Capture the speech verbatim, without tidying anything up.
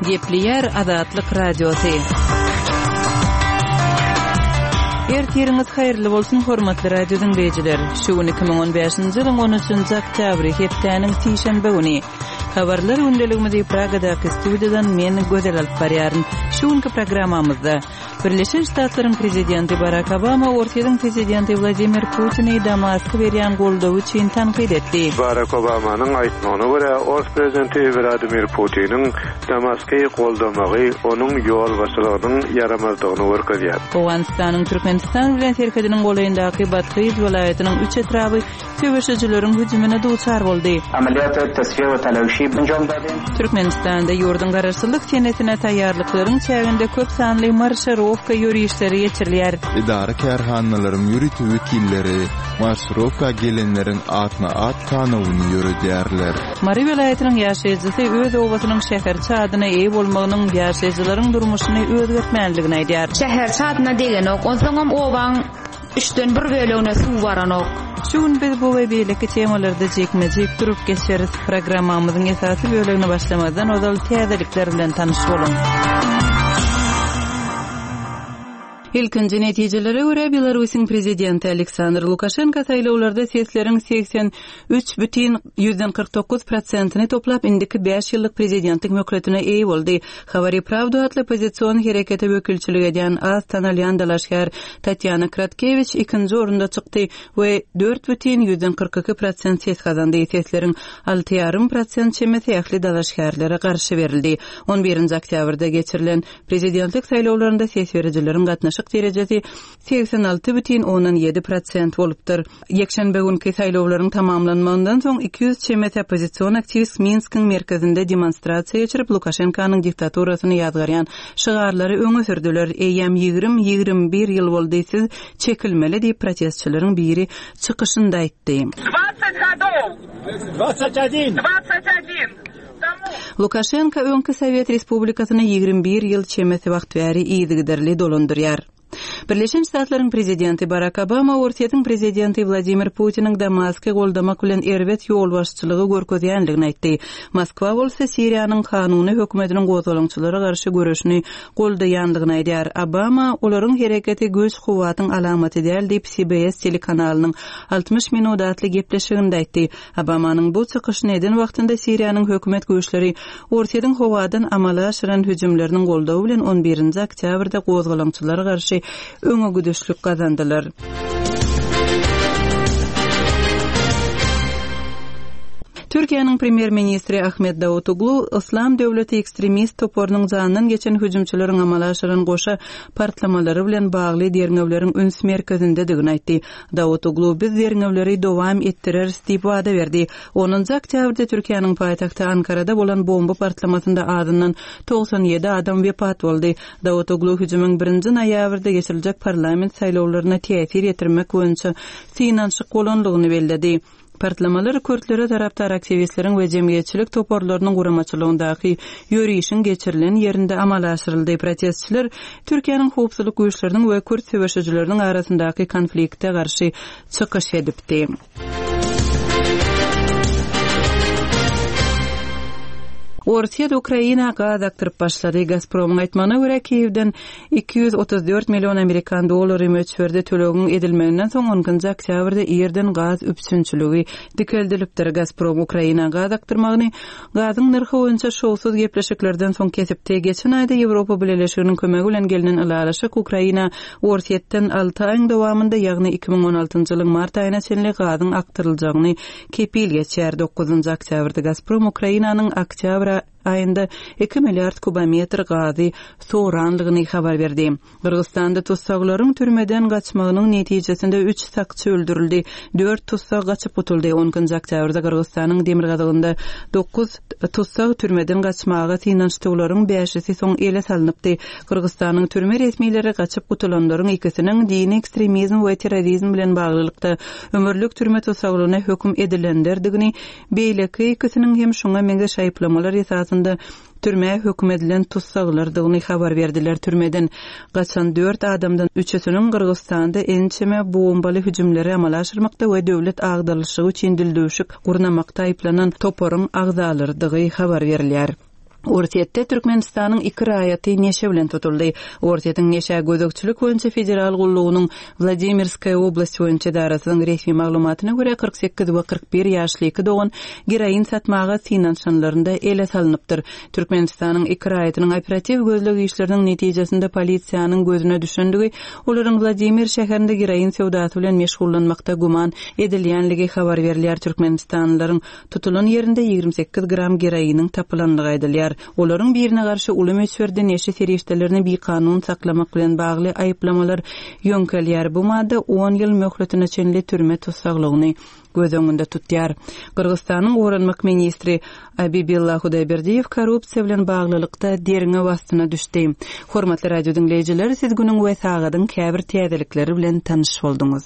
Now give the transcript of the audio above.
Gepleýär Azatlyk Radiosy. Ertiriňiz haýyrly bolsun, hormatly radio diňleýjiler. Şu gün iki müň on bäşinji ýylyň on üçünji oktýabry, hepdäniň sişenbe güni. Habarlar gündeligimizi Pragadaky studiýadan men Gözel alyp barýaryn. Şu günki programmamyzda Birleşen Ştatlaryň prezidenti Barak Obama Orsýetiň prezidenti Wladimir Putini Damaska berýän goldawy üçin tankyt etdi. Barak Obamanyň aýtmagyna görä, ors prezidenti Wladimir Putiniň Damasky goldamagy onuň ýolbaşçylygynyň ýaramazdygyny görkezýär. Owganystanyň Türkmenistan bilen serhediniň golaýyndaky Bathyz welaýatynyň üç etraby söweşijileriň hüjümine duçar boldy. Türkmenistanda ýurduň garaşsyzlyk senesine taýýarlyklaryň çäginde köp sanly marşirowka ýörişleri geçirilýär. Edara-kärhanalaryň ýörite wekilleri marşirowka gelenleriň atma-at sanawyny ýöredýärler. Mary welaýatynyň ýaşaýjysy öz obasynyň şäherçe adyna eýe bolmagynyň ýaşaýjylaryň durmuşyny özgertmänligini aýdýar. Şäherçe adyna degenok, onsoňam obaň üçden bir bölegine suw baranok. Şu gün biz bu we beýleki temalarda jikme-jik durup geçeris. Programmamyzyň esasy bölegine başlamazdan ozal täzelikler bilen tanyş boluň. Ilkinji netijelere görä Belarusyň prezidenti Aleksandr Lukaşenko saýlawlarda sesleriň seksen üç bütin ýüzden kyrk dokuz prosentini toplap indiki bäş ýyllyk prezidentlik möhletine eýe boldy. Habary Pravda atly oppozision herekete wekilçilik edýän az tanalýan dalaşgär Tatýana Kratkewiç ikinji orunda çykdy we dört bütin ýüzden kyrk iki prosent ses gazandy. Sesleriň alty ýarym prosent çemesi ähli dalaşgärlere garşy berildi. On birinji oktýabrda geçirilen prezidentlik saýlawlarynda ses berijileriň gatnaşyk derejesi seksen alty bütin ondan ýedi prosent bolupdyr. Ýekşenbe günki saýlawlaryň tamamlanmagyndan soň iki ýüz çemesi oppozision aktiwist Minskiň merkezinde demonstrasiýa geçirip Lukaşenkanyň diktaturasyny ýazgarýan şygarlary öňe sürdüler. Eýýäm ýigrimi, ýigrimi bir ýyl boldy, siz çekilmeli diýip protestçileriň biri çykyşynda aýtdy. Dwadzet godov. Dwadzet odin. Dwadzet odin. Lukaşenko öňki Sowet Respublikasyny ýigrimi bir ýyl çemesi wagt bäri yzygiderli dolandyrýar. Birleşen Ştatlaryň prezidenti Barak Obama Orsýetiň prezidenti Wladimir Putiniň Damasky goldamak bilen erbet ýolbaşçylygy görkezýänligini aýtdy. Moskwa bolsa Siriýanyň kanuny hökümetiniň gozgalaňçylara garşy göreşini goldaýanlygyny aýdýar. Obama olaryň hereketi güýç kuwwatyň alamaty däl diýip C B S telekanalynyň altmyş minut atly gepleşiginde aýtdy. Obamanyň bu çykyşyny eden wagtynda Siriýanyň hökümet güýçleri Orsýetiň howadan amala aşyran hüjümleriniň goldawy bilen on birinji oktýabrda gozgalaňçylara garşy öňe güdüşlik gazandylar. Türkiýäniň premýer-ministri Ahmet Davutoglu Islam döwleti ekstremist toparynyň jandan geçen hüjümçileriň amala aşyran goşa partlamalary bilen bagly derňewleriň üns merkezindedigini aýtdy. Davutoglu biz derňewleri dowam etdireris diýip wada berdi. Onunjy oktýabrda Türkiýäniň paýtagty Ankarada bolan bomba partlamasynda azyndan togsan ýedi adam wepat boldy. Davutoglu hüjümiň birinji noýabrda geçiriljek parlament saýlawlaryna täsir ýetirmek boýunça synanyşyk bolanlygyny belledi. Partlamalar kürtlere tarapdar aktiwistleriň we jemgyýetçilik toparlarynyň guramaçylygyndaky ýörişiň geçirilen ýerinde amala aşyryldy. Protestçiler Türkiýäniň howpsuzlyk güýçleriniň we kürt söweşijileriniň arasyndaky konflikte garşy çykyş edipdi. Orsýet Ukraina gaz akdyryp başlady. Gazpromyň aýtmagyna görä Kiýewden iki ýüz otuz dört million amerikan dollary möçberde tölegiň edilmeginden soň on ikinji oktýabrda ýerden gaz üpjünçiligi dikeldilipdir. Gazprom Ukraina gaz akdyrmagyny gazyň nyrhy boýunça şowsuz gepleşiklerden soň kesipdi. Geçen aýda Ýewropa Bileleşiginiň kömegi bilen gelnen ylalaşyk Ukraina Orsýetden alty aýyň dowamynda, ýagny iki müň on altynjy ýylyň mart aýyna çenli gazyň akdyryljagyny kepil geçýär. Dokuzynjy oktýabrda Gazprom Ukrainanyň oktýabr aýynda iki milliard kubometr gazy soranlygyny habar berdi. Gyrgyzstanda tussaglaryň türmeden gaçmagynyň netijesinde üç sakçy öldürildi, dört tussag gaçyp gutuldy. On ikinji oktýabrda Gyrgyzstanyň demirgazygynda dokuz tussag türmeden gaçmaga synanyşdyklaryň bäşisi soň ele salynypdy. Gyrgyzstanyň türme resmileri gaçyp gutulanlaryň ikisiniň dini ekstremizm we terrorizm bilen baglylykda ömürlik türme tussaglygyna höküm edilenlerdigini, beýleki ikisiniň hem şoňa meňzeş aýyplamalar esasynda türmä höküm edilen tussaglardygyny habar berdiler. Türmeden gaçan dört adamdan üçüsiniň Gyrgyzstanda ençeme bombaly hüjümleri amala aşyrmakda we döwlet agdalyşygy üçin dildüwşük gurnamakda aýyplanan toparyň agzalarydygy habar berilýär. Orsýetde Türkmenistanyň iki raýaty neşe bilen tutuldy. Orsýetiň Neşä gözegçilik boýunça federal gullugynyň Wladimirskaýa oblast boýunça edarasynyň resmi maglumatyna görä, kyrk sekiz we kyrk bir ýaşly iki dogan geroin satmaga synanyşanlarynda ele salnypdyr. Türkmenistanyň iki raýatynyň operatiw gözleg işleriniň netijesinde polisiýanyň gözüne düşendigi, olaryň Wladimir şäherinde geroin söwdasy bilen meşgullanmakda güman edilýänligi habar berilýär. Türkmenistanlylaryň tutulan ýerinde ýigrimi sekiz gram geroiniň tapylandygy aýdylýar. Olaryň birine garşy uly möçberde neşe serişdelerini bikanun saklamak bilen bagly aýyplamalar ýöňkelýär. Bu madda on ýyl möhletine çenli türme tussaglygyny göz öňünde tutýar. Gyrgyzystanyň goranmak ministri Abibilla Hudaýberdiýew korrupsiýa bilen baglylykda derňew astyna düşdi. Hormatly radio diňleýjiler, siz günüň we sagadyň käbir täzelikleri bilen tanyş bolduňyz.